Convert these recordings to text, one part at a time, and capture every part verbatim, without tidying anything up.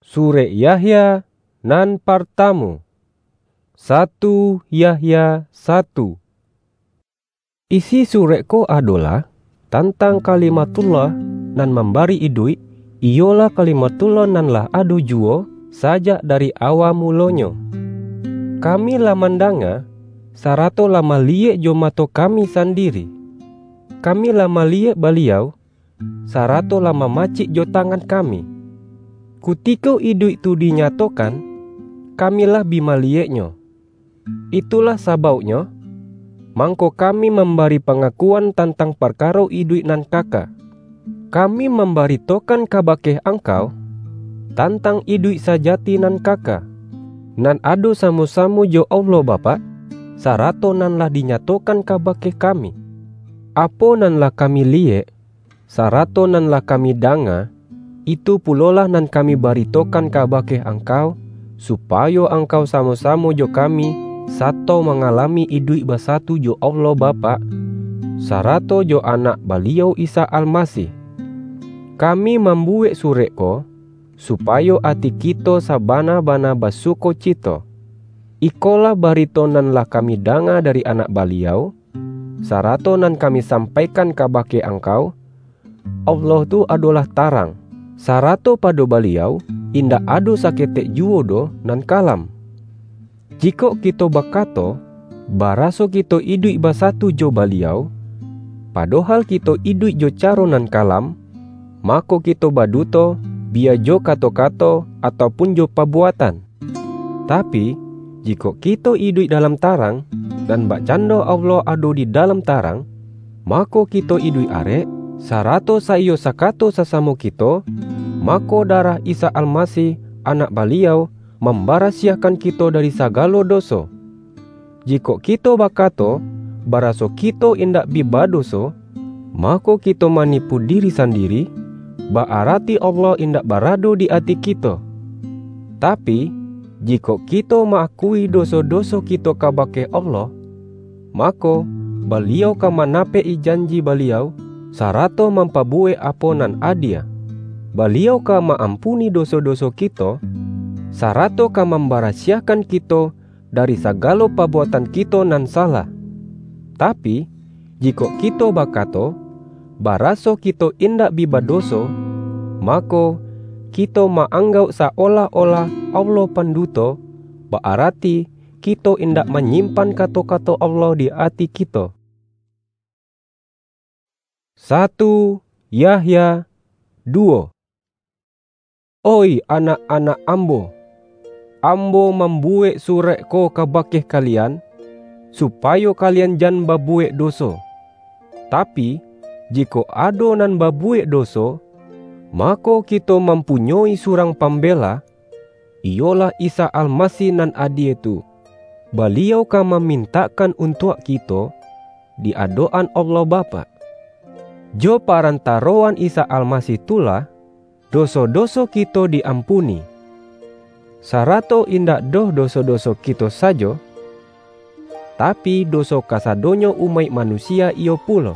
Surek Yahya nan partamo. Satu Yahya satu. Isi surek ko adolah tantang Kalimatullah nan mambari iduik, iyolah Kalimatullah nan lah ado juwo sajak dari awa mulonyo. Kami lah mandanga, sarato lah maliyek jo mato kami sandiri. Kami lah maliyek Baliau, sarato lah mamacik jo tangan kami. Kutiko iduik tu dinyatokan, kami lah bi maliyek-Nyo. Itulah sabauknyo, mangko kami mambari pangakuan tantang parkaro iduik nan kaka. Kami mambaritokan kabake angkau, tantang iduik sajati nan kaka, nan ado samo-samo jo Allah Bapak, sarato nan lah dinyatokan kabake kami. Apo nan lah kami liyek, sarato nan lah kami danga, itu pulolah nan kami baritokan kabake angkau, supayo angkau samo-samo jo kami sato mangalami iduik basatu jo Allah Bapak, sarato jo Anak Baliau Isa Almasih. Kami mambuwek surek ko, supayo ati kito sabana-bana basukocito. Ikolah barito nan lah kami danga dari Anak Baliau, sarato nan kami sampaikan kabake angkau: Allah tu adolah tarang, sarato pado Baliau indak ado saketek juwo doh nan kalam. Jikok kito bakato, baraso kito iduik basatu jo Baliau, padohal kito iduik jo caro nan kalam, mako kito baduto, biya jo kato-kato, ataupun jo pabuatan. Tapi, jikok kito iduik dalam tarang, nan bakcando Allah ado di dalam tarang, mako kito iduik arek, sarato saiyo sakato sasamo kito, mako darah Isa Almasih, Anak Baliau, mambarasiahkan kito dari sagalo doso. Jikok kito bakato, baraso kito indak bi badoso, mako kito manipu diri sandiri, ba-arati Allah indak barado di ati kito. Tapi, jikok kito ma-akui doso-doso kito kabake Allah, mako, Baliau ka manapek-i janji Baliau, sarato mampabuwek apo nan adie. Baliau ka ma-ampuni doso-doso kito, sarato ka mambarasiahkan kito dari sagalo pabuatan kito nan salah. Tapi, jikok kito bakato, baraso kito indak bi badoso, mako, kito ma-anggauk sa-olah-olah Allah panduto, ba-arati kito indak manyimpan kato-kato Allah di ati kito. Satu Yahya duwo. Oih anak-anak ambo, ambo mambuwek surek ko kabake kalian, supayo kalian jan babuwek doso. Tapi, jikok ado nan babuwek doso, mako kito mampunyoi surang Pambela, iyolah Isa Almasih nan adie tu. Baliau ka mamintakkan untuak kito di adok-an Allah Bapak. Jo parantaroan Isa Almasih tu lah, doso-doso kito di-ampuni. Sarato indak doh doso-doso kito sajo, tapi, doso kasadonyo umaik manusia iyo pulo.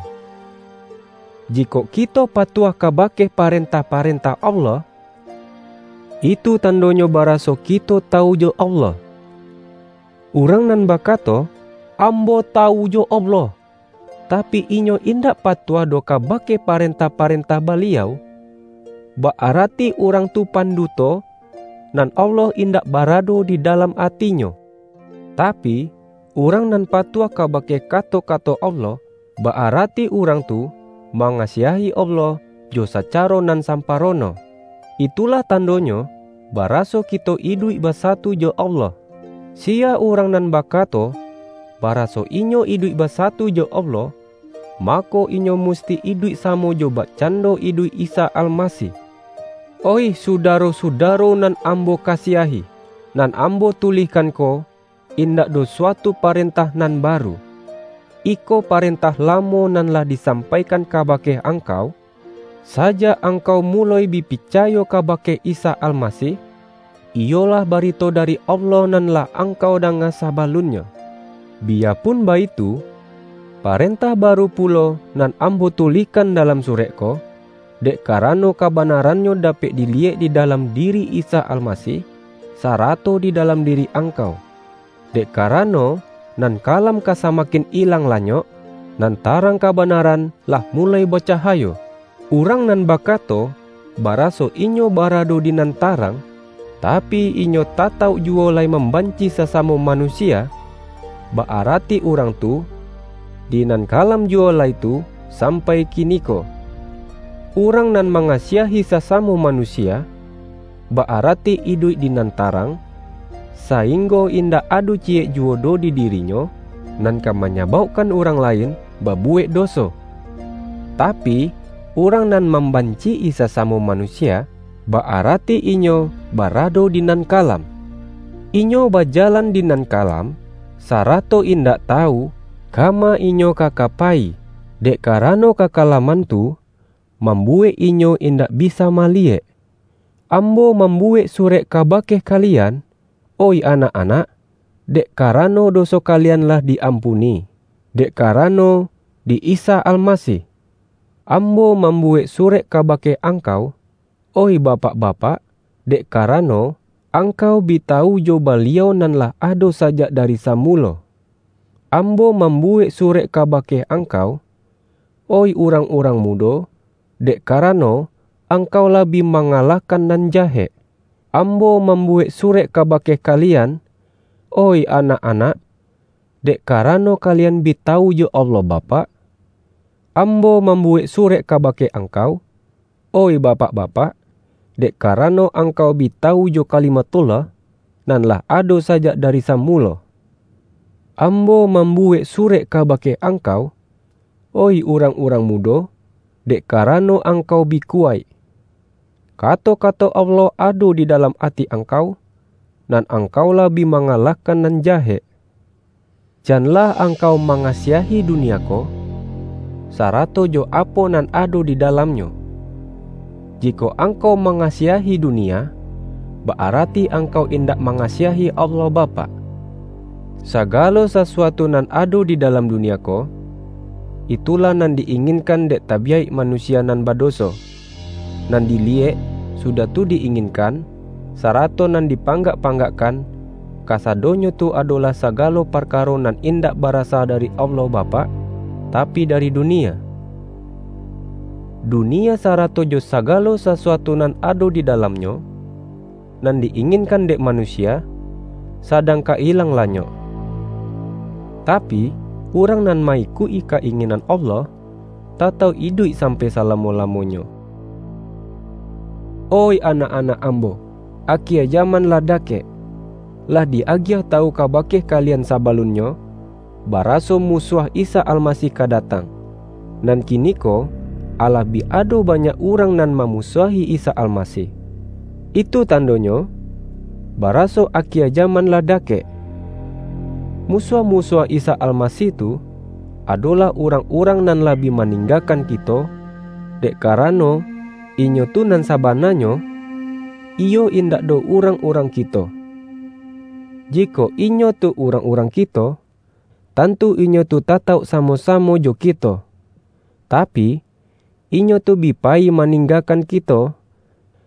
Jikok kito patuah kabake parentah-parentah Allah, itu tandonyo baraso kito tawu jo Allah. Urang nan bakato, "Ambo tawu jo Allah," tapi, inyo indak patuah doh kabake parentah-parentah Baliau, ba-arati urang tu panduto, nan Allah indak barado di dalam atinyo. Tapi, urang nan patuah kabake kato-kato Allah, ba-arati urang tu mangasiahi Allah jo sacaro nan samparono. Itulah tandonyo, baraso kito iduik basatu jo Allah. Siya urang nan bakato, baraso inyo iduik basatu jo Allah, mako, inyo musti iduik samo jo bakcando iduik Isa Almasih. Oih sudaro-sudaro nan ambo kasiahi, nan ambo tulihkan ko, indak doh suatu parentah nan baru. Iko parentah lamo nan lah disampaikan kabake angkau, sajak angkau muloi bi picayo kabake Isa Almasih, iyolah barito dari Allah nan lah angkau danga sabalunnyo. Biyapun baitu, parentah baru pulo nan ambo tulihkan dalam surek ko, dek karano kabanarannyo dapek diliyek di dalam diri Isa Almasih, sarato di dalam diri angkau. Dek karano, nan kalam ka samakin ilang lanyok, nan tarang kabanaran lah mulai bacahayo. Urang nan bakato, baraso inyo barado di nan tarang, tapi inyo tatauk juwo lai mambanci sasamo manusia, ba-arati urang tu, di nan kalam juwo lai tu, sampai kiniko. Urang nan mangasiahi sasamo manusia, ba-arati iduik di nan tarang, sainggo indak ado ciyek juwo doh di dirinyo, nan ka manyabaukkan urang lain babuwek doso. Tapi, urang nan mambanci-i sasamo manusia, ba-arati inyo barado di nan kalam. Inyo bajalan di nan kalam, sarato indak tawu, kama inyo ka ka payi, dek karano kakalaman tu mambuwek inyo indak bisa maliyek. Ambo mambuwek surek kabake kalian, oih anak-anak, dek karano doso kalian lah di-ampuni, dek karano di Isa Almasih. Ambo mambuwek surek kabake angkau, oih bapak-bapak, dek karano angkau bi tawu jo Baliau nan lah ado sajak dari samulo. Ambo mambuwek surek kabake angkau, oih urang-urang mudo, dek karano angkau lah bi mangalahkan nan jahek. Ambo mambuwek surek kabake kalian, oih anak-anak, dek karano kalian bi tawu jo Allah Bapak. Ambo mambuwek surek kabake angkau, oih bapak-bapak, dek karano angkau bi tawu jo Kalimatullah, nan lah ado sajak dari samulo. Ambo mambuwek surek kabake angkau, oih urang-urang mudo, dek karano angkau bi kuwaik. Kato-kato Allah ado di dalam ati angkau, nan angkau lah bi mangalahkan nan jahek. Janlah angkau mangasiahi dunia ko, sarato jo apo nan ado di dalamnyo. Jikok angkau mangasiahi dunia, ba-arati angkau indak mangasiahi Allah Bapak. Sagalo sasuatu nan ado di dalam dunia ko, itulah nan di-inginkan dek tabiyaik manusia nan badoso. Nan diliyek, sudah tu di-inginkan, sarato nan dipanggak-panggakkan, kasadonyo tu adolah sagalo parkaro nan indak barasa dari Allah Bapak, tapi dari dunia. Dunia sarato jo sagalo sasuatu nan ado di dalamnyo, nan di-inginkan dek manusia, sadang ka ilang lanyok. Tapi, urang nan ma-ikuik-i ka-inginan Allah, tatauk iduik sampai salamo-lamonyo. Oih anak-anak ambo, akia jaman lah dakek. Lah di-agiah tawu kabake kalian sabalunnyo, baraso musuah Isa Almasih ka datang. Nan kiniko, alah bi ado banyak urang nan mamusuahi Isa Almasih. Itu tandonyo, baraso akia jaman lah dakek. Musuah-musuah Isa Almasih tu, adolah urang-urang nan lah bi maninggakan kito, dek karano, inyo tu nan sabananyo, iyo indak doh urang-urang kito. Jikok inyo tu urang-urang kito, tantu inyo tu tatauk samo-samo jo kito. Tapi, inyo tu bi payi maninggakan kito,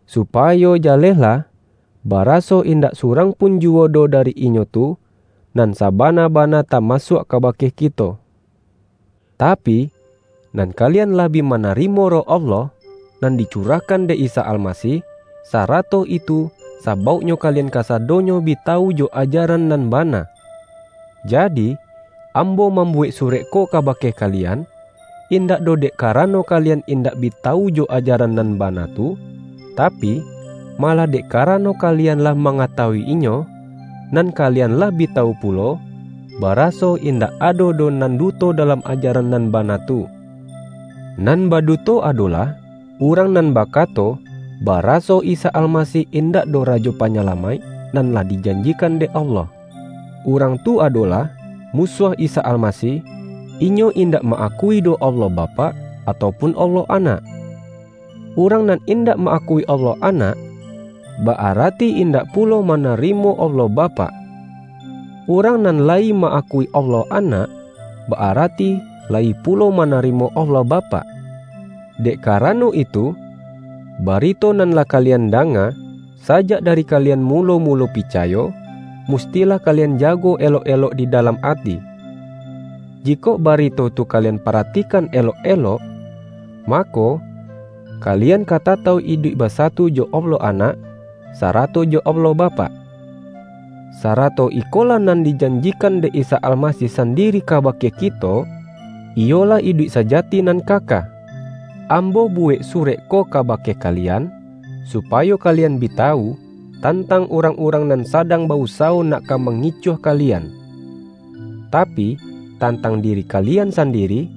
supayo jalehlah, baraso indak surang pun juwo doh dari inyo tu, nan sabana-bana tamasuak kabake kito. Tapi, nan kalian lah bi manarimo Roh Allah, nan dicurahkan dek Isa Almasih, sarato itu sabauknyo kalian kasadonyo bi tawu jo ajaran nan bana. Jadi, ambo mambuwek surek ko kabake kalian, indak doh dek karano kalian indak bi tawu jo ajaran nan bana tu, tapi, malah dek karano kalian lah mangatawui inyo, nan kalian lah bi tawu pulo, baraso indak ado doh nan duto dalam ajaran nan bana tu. Nan baduto adolah urang nan bakato, baraso Isa Almasih indak doh Rajo Panyalamaik nan lah dijanjikan dek Allah. Urang tu adolah musuah Isa Almasih, inyo indak ma-akui doh Allah Bapak, atau pun Allah Anak. Urang nan indak ma-akui Allah Anak, ba-arati indak pulo manarimo Allah Bapak. Urang nan layi ma-akui Allah Anak, ba-arati layi pulo manarimo Allah Bapak. Dek karano itu, Barito nan lah kalian danga, sajak dari kalian mulo-mulo picayo, mustilah kalian jago elok-elok di dalam ati. Jikok barito tu kalian paratikan elok-elok, mako, kalian ka tatau iduik basatu jo Allah Anak, sarato jo Allah Bapak. Sarato ikolah nan dijanjikan dek Isa Almasih sandiri kabake kito, iyolah iduik sajati nan kaka. Ambo buwek surek ko kabake kalian, supayo kalian bi tawu tantang urang-urang nan sadang ba-usawo nak ka mangicuah kalian. Tapi, tantang diri kalian sandiri,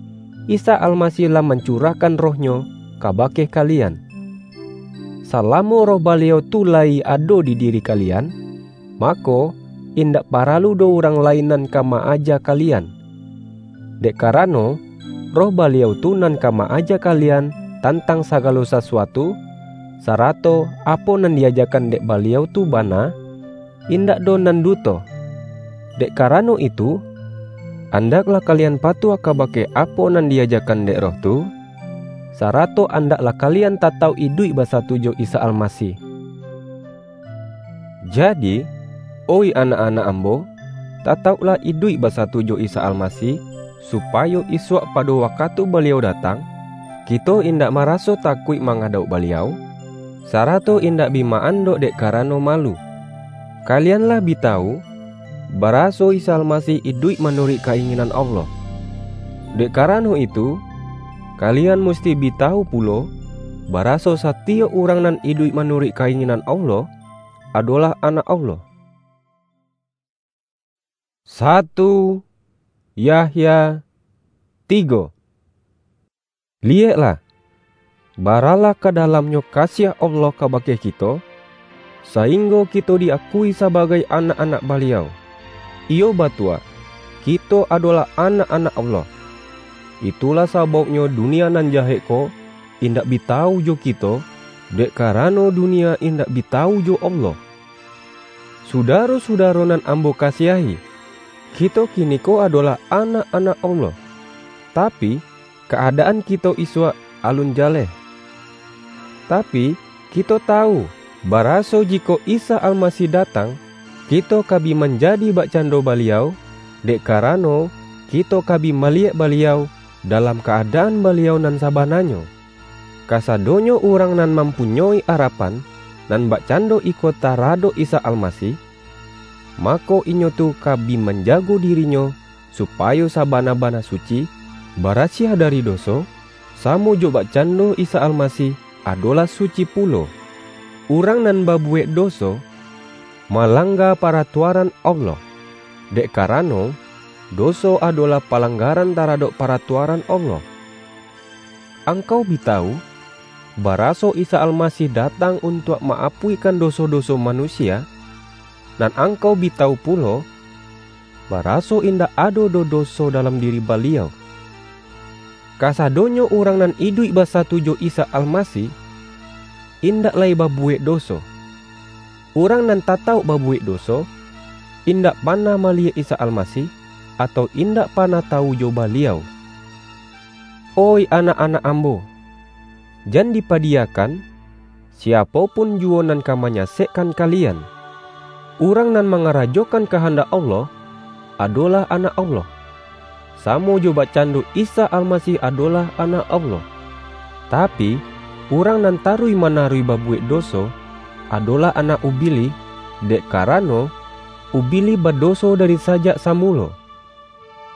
Isa Almasih lah mancurahkan Roh-Nyo kabake kalian. Salamo Roh Baliau tu layi ado di diri kalian, mako, indak paralu doh urang lain nan ka ma-aja kalian. Dek karano, Roh Baliau tu nan ka ma-aja kalian tantang sagalo sasuatu, sarato apo nan diajakan dek Baliau tu bana, indak doh nan duto. Dek karano itu, andaklah kalian patuah kabake apo nan diajakan dek Roh tu, sarato andaklah kalian tatau iduik basatu jo Isa Almasih. Jadi, oih anak-anak ambo, tatauklah iduik basatu jo Isa Almasih, supayo isuak pado wakatu Baliau datang, kito indak maraso takuik mangadauk Baliau, sarato indak bi ma-andok dek karano malu. Kalian lah bi tawu, baraso Isa Almasih iduik manuruik ka-inginan Allah. Dek karano itu, kalian musti bi tawu pulo, baraso satiyok urang nan iduik manuruik ka-inginan Allah, adolah anak Allah. Satu Yahya tigo. Liyeklah, baralah ka dalamnyo kasiah Allah kabake kito, sainggo kito di-akui sabagai anak-anak Baliau. Iyo batua, kito adolah anak-anak Allah. Itulah sabauknyo dunia nan jahek ko indak bi tawu jo kito, dek karano dunia indak bi tawu jo Allah. Sudaro-sudaro nan ambo kasiahi, kito kiniko adolah anak-anak Allah, tapi, ka-adaan kito isuak alun jaleh. Tapi, kito tawu, baraso jikok Isa Almasih datang, kito ka bi manjadi bakcando Baliau, dek karano, kito ka bi maliyek Baliau dalam ka-adaan Baliau nan sabananyo. Kasadonyo urang nan mampunyoi arapan nan bakcando iko taradok Isa Almasih, mako inyo tu ka bi manjago dirinyo supayo sabana-bana suci, barasiah dari doso, samo jo bakcando Isa Almasih adolah suci pulo. Urang nan babuwek doso, malangga paratuaran Allah, dek karano, doso adolah palanggaran taradok paratuaran Allah. Angkau bi tawu, baraso Isa Almasih datang untuak ma-apuihkan doso-doso manusia, nan angkau bi tawu pulo, baraso indak ado doh doso dalam diri Baliau. Kasadonyo urang nan iduik basatu jo Isa Almasih, indak lai babuwek doso. Urang nan tatauk babuwek doso, indak panah maliyek Isa Almasih, atau indak panah tawu jo Baliau. Oih anak-anak ambo, jan dipadiyakan, siapo pun juwo nan ka manyasekkan kalian. Urang nan mangarajokan kahandak Allah, adolah anak Allah, samo jo bakcando Isa Almasih adolah Anak Allah. Tapi, urang nan taruih-manaruih babuwek doso, adolah anak Ubilih, dek karano, Ubilih badoso dari sajak samulo.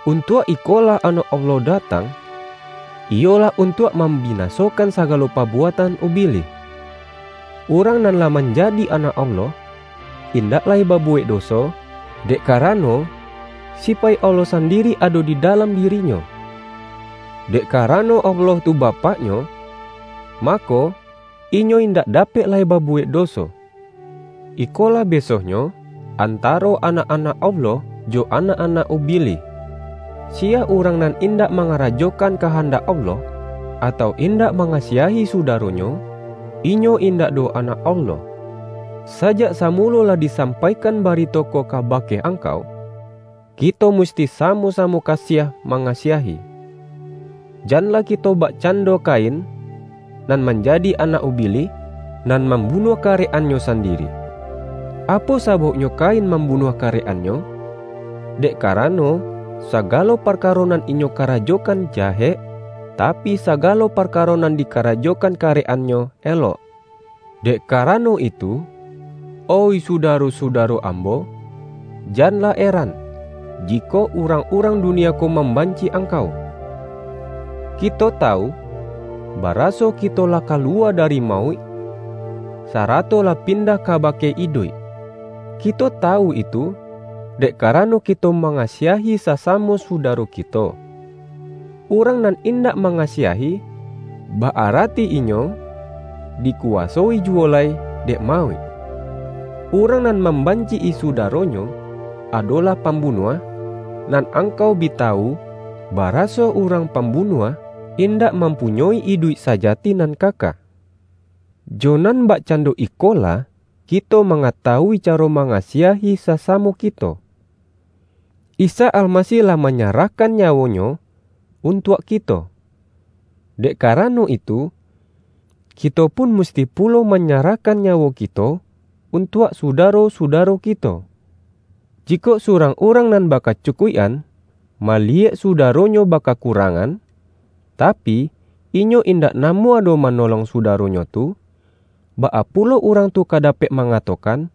Untuak ikolah Anak Allah datang, iyolah untuak mambinasokan sagalo pabuatan Ubilih. Urang nan lah manjadi anak Allah, indak lai babuwek doso, dek karano, sipaik Allah sandiri ado di dalam dirinyo. Dek karano Allah tu Bapaknyo, mako, inyo indak dapek lai babuwek doso. Ikolah besohnyo antaro anak-anak Allah jo anak-anak Ubilih. Siya urang nan indak mangarajokan kahandak Allah, atau indak mangasiahi sudaronyo, inyo indak doh anak Allah. Sajak samulo lah disampaikan barito ko kabake angkau, kito musti samo-samo kasiah mangasiahi. Janlah kito bakcando Kain, nan manjadi anak Ubilih, nan mambunuah karek-annyo sandiri. Apo sabauknyo Kain mambunuah karek-annyo? Dek karano, sagalo parkaro nan inyo karajokan jahek, tapi, sagalo parkaro nan dikarajokan karek-annyo elok. Dek karano itu, oih sudaro-sudaro ambo, janlah eran, jikok urang-urang dunia ko mambanci angkau. Kito tawu, baraso kito lah kaluwa dari mauik, sarato lah pindah kabake iduik. Kito tawu itu, dek karano kito mangasiahi sasamo sudaro kito. Urang nan indak mangasiahi, ba-arati inyo dikuwasoi juwo lai dek mauik. Urang nan mambanci-i sudaronyo, adolah pambunuah, nan angkau bi tawu, baraso urang pambunuah indak mampunyoi iduik sajati nan kaka. Jo nan bakcando ikolah, kito mangatawui caro mangasiahi sasamo kito. Isa Almasih lah manyarahkan nyawo-Nyo untuak kito. Dek karano itu, kito pun musti pulo manyarahkan nyawo kito untuak sudaro-sudaro kito. Jikok surang urang nan bakacukuik-an maliyek sudaronyo bakakurangan, tapi, inyo indak namuah doh manolong sudaronyo tu, baa pulo urang tu ka dapek mangatokan,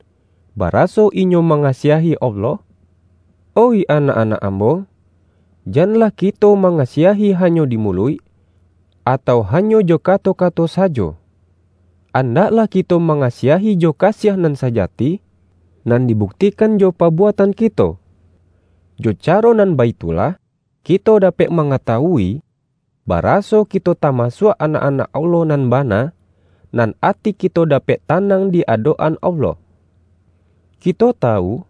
baraso inyo mangasiahi Allah? Oih anak-anak ambo, janlah kito mangasiahi hanyo di muluik, atau hanyo jo kato-kato sajo. Andaklah kito mangasiahi jo kasiah nan sajati, nan dibuktikan jo pabuatan kito. Jo caro nan baitulah, kito dapek mangatawui, baraso kito tamasuak anak-anak Allah nan bana, nan ati kito dapek tanang di adok-an Allah. Kito tawu,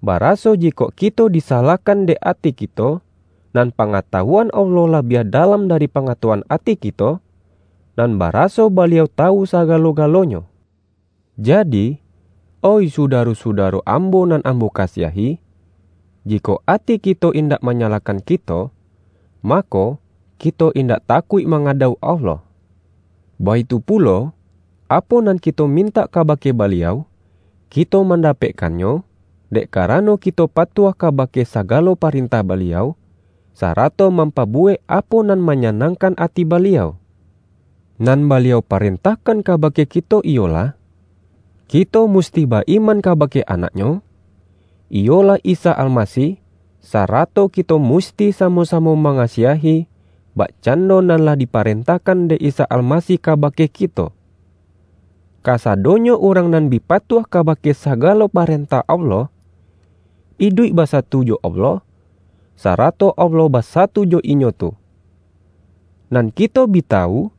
baraso jikok kito disalahkan dek ati kito, nan pangatawuan Allah labiah dalam dari pangatawuan ati kito, nan baraso Baliau tawu sagalo-galonyo. Jadi, oih sudaro-sudaro ambo nan ambo kasiahi, jikok ati kito indak manyalahkan kito, mako, kito indak takuik mangadau Allah. Baitu pulo, apo nan kito mintak kabake Baliau, kito mandapekkannyo, dek karano kito patuah kabake sagalo parentah Baliau, sarato mampabuwek apo nan manyanangkan ati Baliau. Nan Baliau parentahkan kabake kito iyolah, kito musti ba-iman kabake Anak-Nyo, iyolah Isa Almasih, sarato kito musti samo-samo mangasiahi, bakcando nan lah diparentahkan dek Isa Almasih kabake kito. Kasadonyo urang nan bi patuah kabake sagalo parentah Allah, iduik basatu jo Allah, sarato Allah basatu jo inyo tu. Nan kito bi tawu,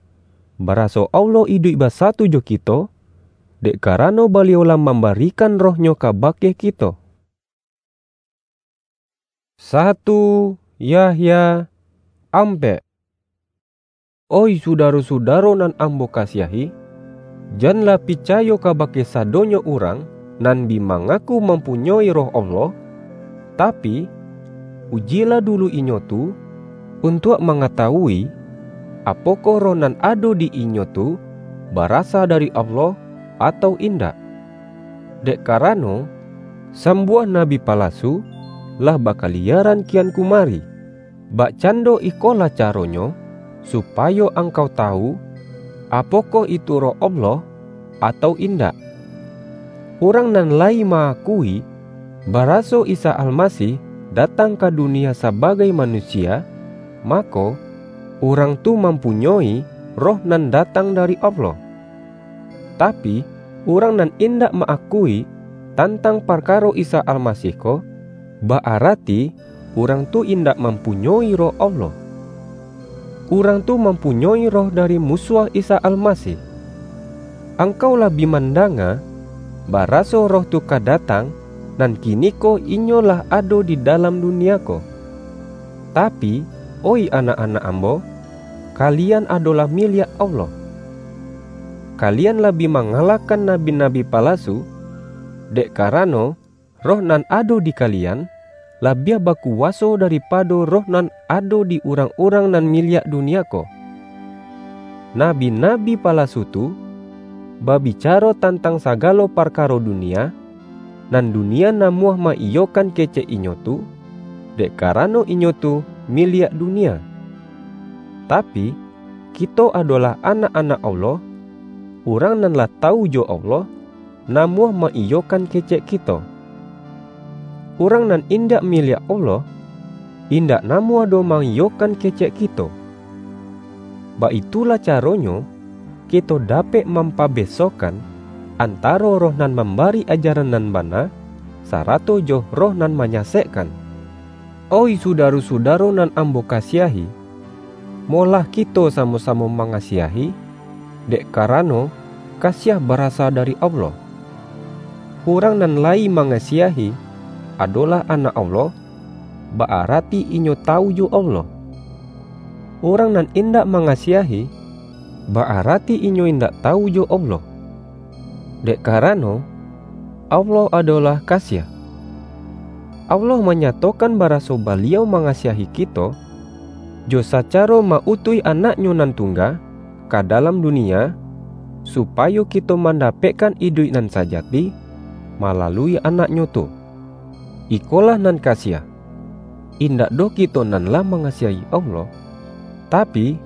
baraso Allah iduik basatu jo kito, dek karano Baliau lah mambarikan Roh-Nyo kabake kito. Satu Yahya ampek. Oih sudaro-sudaro nan ambo kasiahi, janlah picayo kabake sadonyo urang nan bi mangaku mampunyoi Roh Allah, tapi, ujilah dulu inyo tu, untuak mangatawui, apokoh Roh nan ado di inyo tu barasa dari Allah, atau indak. Dek karano, sambuah nabi palasu lah bakaliaran kian kumari. Bakcando ikolah caronyo, supayo angkau tawu, apokoh itu Roh Allah, atau indak. Urang nan layi ma-akui, baraso Isa Almasih datang ka dunia sabagai manusia, mako, urang tu mampunyoi Roh nan datang dari Allah. Tapi, urang nan indak ma-akui tantang parkaro Isa Almasih ko, ba-arati urang tu indak mampunyoi Roh Allah. Urang tu mampunyoi roh dari musuah Isa Almasih. Angkau lah bi mandanga, baraso Roh tu ka datang, nan kiniko inyo lah ado di dalam dunia ko. Tapi, oih anak-anak ambo, kalian adolah miliak Allah. Kalian lah bi mangalahkan nabi-nabi palasu, dek karano, Roh nan ado di kalian, labiah bakuwaso daripado roh nan ado di urang-urang nan miliak dunia ko. Nabi-nabi palasu tu babicaro tantang sagalo parkaro dunia, nan dunia namuah ma-iyokan kecek inyo tu, dek karano inyo tu miliak dunia. Tapi, kito adolah anak-anak Allah, urang nan lah tawu jo Allah, namuah ma-iyokan kecek kito. Urang nan indak miliak Allah, indak namuah doh ma-iyokan kecek kito. Baitulah caronyo, kito dapek mampabesokan antaro roh nan mambari ajaran nan bana, sarato jo roh nan manyasekkan. Oih sudaro-sudaro nan ambo kasiahi, molah kito samo-samo mangasiahi, dek karano kasiah barasa dari Allah. Urang nan layi mangasiahi, adolah anak Allah, ba-arati inyo tawu jo Allah. Urang nan indak mangasiahi, ba-arati inyo indak tawu jo Allah. Dek karano, Allah adolah kasiah. Allah manyatokan baraso Baliau mangasiahi kito, jo sacaro ma-utuih Anak-Nyo nan tungga ka dalam dunia, supayo kito mandapekkan iduik nan sajati malalui Anak-Nyo tu. Ikolah nan kasiah, indak doh kito nan lah mangasiahi Allah, tapi,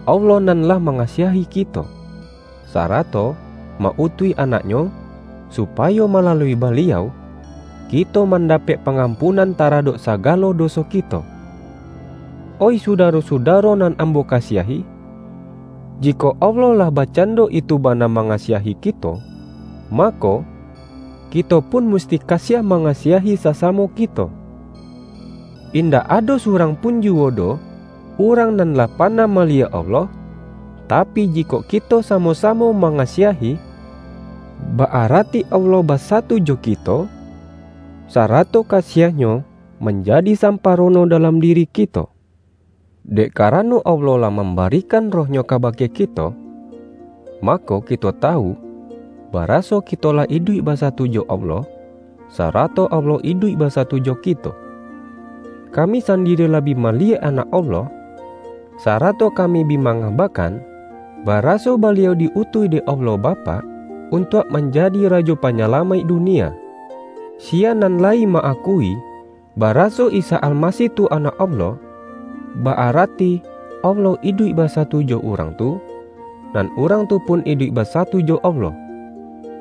Allah nan lah mangasiahi kito, sarato ma-utuih Anak-Nyo, supayo malalui Baliau, kito mandapek pangampunan taradok sagalo doso kito. Oih sudaro-sudaro nan ambo kasiahi, jikok Allah lah bakcando itu bana mangasiahi kito, mako, kito pun musti kasiah mangasiahi sasamo kito. Indak ado surang pun juwo doh, urang nan lah panah maliek Allah, tapi, jikok kito samo-samo mangasiahi, ba-arati Allah basatu jo kito, sarato kasiah-Nyo manjadi samparono dalam diri kito. Dek karano Allah lah mambarikan Roh-Nyo kabake kito, mako, kito tawu, baraso kito lah iduik basatu jo Allah, sarato Allah iduik basatu jo kito. Kami sandiri lah bi maliek Anak Allah, sarato kami bi mangabakan, baraso Baliau di-utuih dek Allah Bapak untuak manjadi Rajo Panyalamaik dunia. Sia nan layi ma-akui, baraso Isa Almasih tu Anak Allah, ba-arati Allah iduik basatu jo urang tu, nan urang tu pun iduik basatu jo Allah.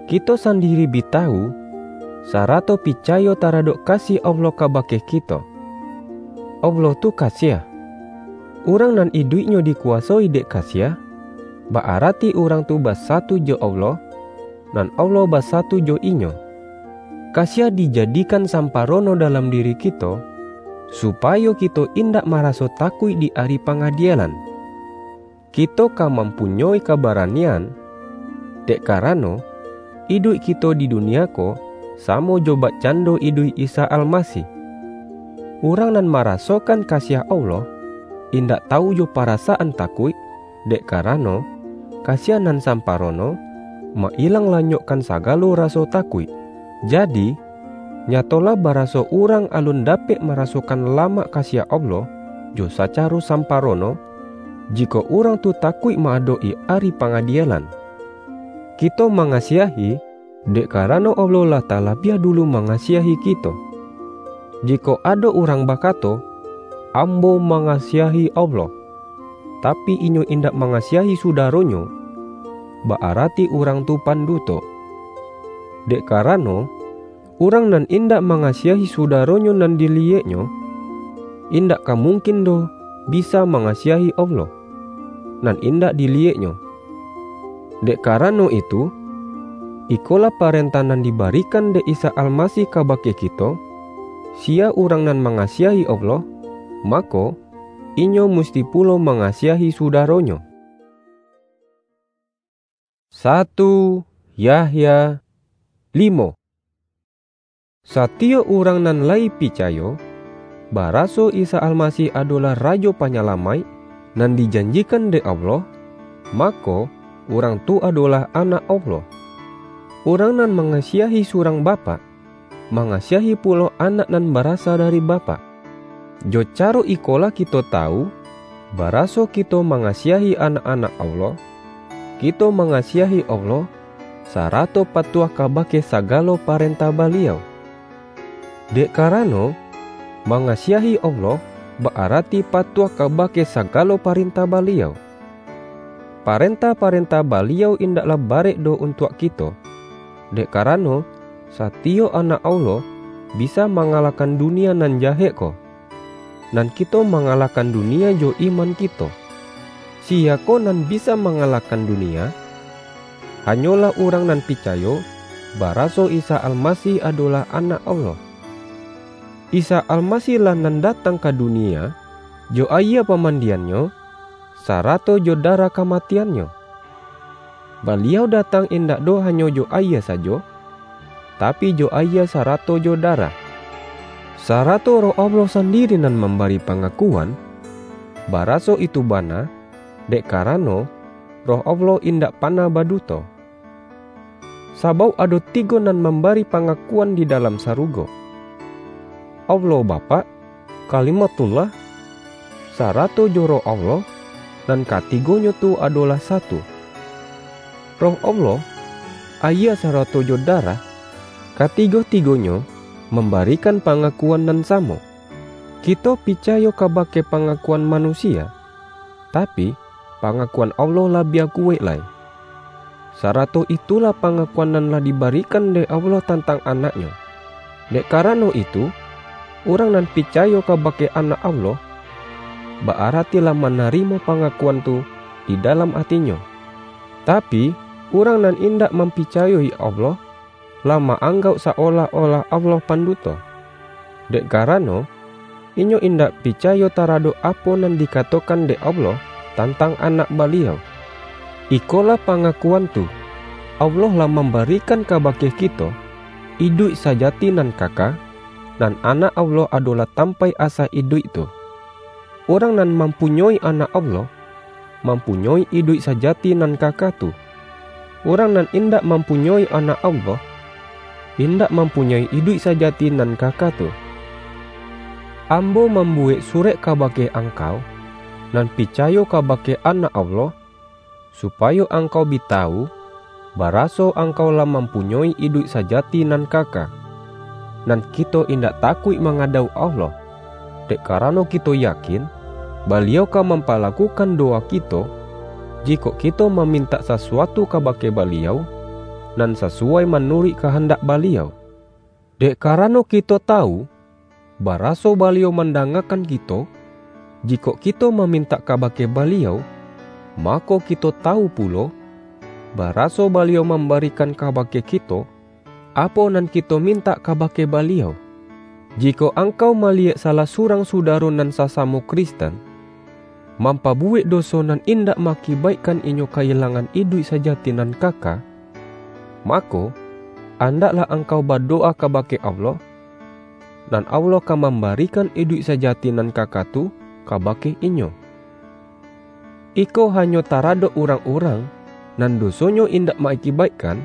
Kito sandiri bi tawu, sarato picayo taradok kasiah Allah kabake kito. Allah tu kasiah. Urang nan iduiknyo dikuwasoi dek kasiah, ba-arati urang tu basatu jo Allah, nan Allah basatu jo inyo. Kasiah dijadikan samparono dalam diri kito, supayo kito indak maraso takuik di Ari Pangadielan. Kito ka mampunyoi kabaranian, dek karano, iduik kito di dunia ko samo jo bakcando iduik Isa Almasih. Urang nan marasokan kasiah Allah, indak tawu jo parasaan takuik, dek karano, kasiah nan samparono, ma-ilang lanyokkan sagalo raso takuik. Jadi, nyatolah baraso urang alun dapek marasokan lamak kasiah Allah jo sacaro samparono, jikok urang tu takuik ma-adok-i Ari Pangadielan. Kito mangasiahi, dek karano Allah lah talabiah dulu mangasiahi kito. Jikok ado urang bakato, "Ambo mangasiahi Allah," tapi inyo indak mangasiahi sudaronyo, ba-arati urang tu panduto. Dek karano, urang nan indak mangasiahi sudaronyo nan diliyeknyo, indak ka mungkin doh bisa mangasiahi Allah, nan indak diliyeknyo. Dek karano itu, ikolah parentah nan dibarikan dek Isa Almasih kabake kito: Siya urang nan mangasiahi Allah, mako, inyo musti pulo mangasiahi sudaronyo. Satu Yahya limo. Satiyok urang nan layi picayo, baraso Isa Almasih adolah Rajo Panyalamaik nan dijanjikan dek Allah, mako, urang tu adolah anak Allah. Urang nan mangasiahi surang bapak, mangasiahi pulo anak nan barasa dari bapak. Jo caro ikolah kito tawu, Baraso kito mangasiahi anak-anak Allah, kito mangasiahi Allah, sarato patuah kabake sagalo parentah Baliau. Dek karano, mangasiahi Allah ba-arati patuah kabake sagalo parentah Baliau. Parentah-parentah Baliau indaklah barek doh untuak kito, dek karano, satiyok anak Allah bisa mangalahkan dunia nan jahek ko. Nan kito mangalahkan dunia jo iman kito. Siya ko nan bisa mangalahkan dunia? Hanyolah urang nan picayo, baraso Isa Almasih adolah Anak Allah. Isa Almasih-lah nan datang ka dunia, jo ayie pamandian-Nyo, sarato jo darah kamatian-Nyo. Baliau datang indak doh hanyo jo ayie sajo, tapi jo ayie sarato jo darah. Sarato Roh Allah sandiri nan mambari pangakuan, baraso itu bana, dek karano, Roh Allah indak panah baduto. Sabauk ado tigo nan mambari pangakuan di dalam sarugo, Allah Bapak, Kalimatullah, sarato jo Roh Allah, nan katigonyo tu adolah satu. Roh Allah, ayie sarato jo darah, katigo-tigonyo mambarikan pangakuan nan samo. Kito picayo kabake pangakuan manusia, tapi, pangakuan Allah labiah kuwaik lai. Sarato itulah pangakuan nan lah dibarikan dek Allah tantang Anak-Nyo. Dek karano itu, urang nan picayo kabake Anak Allah, ba-arati lah manarimo pangakuan tu di dalam atinyo. Tapi, urang nan indak mampicayoi Allah, lah ma-anggauk sa-olah-olah Allah panduto. Dek karano, inyo indak picayo taradok apo nan dikatokan dek Allah tantang Anak Baliau. Ikolah pangakuan tu, Allah lah mambarikan kabake kito iduik sajati nan kaka, nan Anak Allah adolah tampaik asa iduik tu. Urang nan mampunyoi Anak Allah, mampunyoi iduik sajati nan kaka tu. Urang nan indak mampunyoi Anak Allah, indak mampunyoi iduik sajati nan kaka tu. Ambo mambuwek surek kabake angkau, nan picayo kabake Anak Allah, supayo angkau bi tawu, baraso angkau lah mampunyoi iduik sajati nan kaka. Nan kito indak takuik mangadauk Allah, dek karano kito yakin, Baliau ka mampalakukan dowa kito, jikok kito mamintak sasuatu kabake Baliau, nan sasuwai manuruik kahandak Baliau. Dek karano kito tawu, baraso Baliau mandangakan kito, jikok kito mamintak kabake Baliau, mako kito tawu pulo, baraso Baliau mambarikan kabake kito, apo nan kito mintak kabake Baliau. Jikok angkau maliyek salah surang sudaro nan sasamo Kristen, mampabuwek doso nan indak maakibaikkan inyo kailangan iduik sajati nan kaka, mako, andaklah angkau badowa kabake Allah, nan Allah ka mambarikan iduik sajati nan kaka tu kabake inyo. Iko hanyo taradok urang-urang, nan dosonyo indak maakibaikkan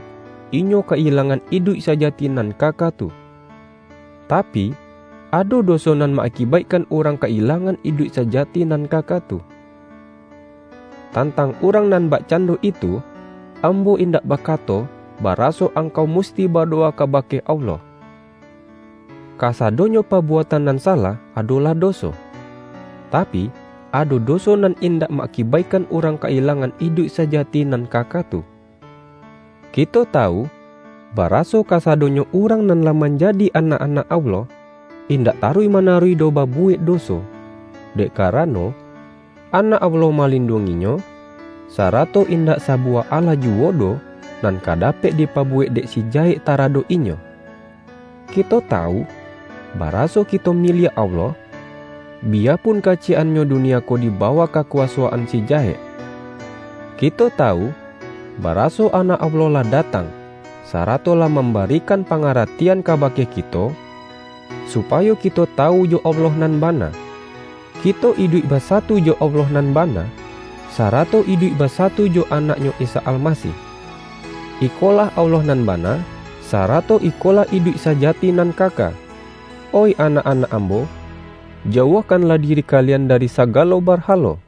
inyo kailangan iduik sajati nan kaka tu. Tapi, ado doso nan maakibaikkan urang kailangan iduik sajati nan kaka tu. Tantang urang nan bakcando itu, ambo indak bakato, baraso angkau musti badowa kabake Allah. Kasadonyo pabuatan nan salah adolah doso. Tapi, ado doso nan indak maakibaikkan urang kailangan iduik sajati nan kaka tu. Kito tawu, baraso kasadonyo urang nan lah manjadi anak-anak Allah, indak taruih-manaruih doh babuwek doso, dek karano, Anak Allah malinduanginyo, sarato indak sabuwah alah juwo doh nan ka dapek dipabuwek dek si jahek taradok inyo. Kito tawu, baraso kito miliak Allah, biyapun kaciyek-annyo dunia ko dibawah kakuwasoan si jahek. Kito tawu, baraso Anak Allah lah datang, sarato lah mambarikan pangaratian kabake kito, supayo kito tawu jo Allah nan bana. Kito iduik basatu jo Allah nan bana, sarato iduik basatu jo Anak-Nyo Isa Almasih. Ikolah Allah nan bana, sarato ikolah iduik sajati nan kaka. Oih anak-anak ambo, jauahkanlah diri kalian dari sagalo barhalo.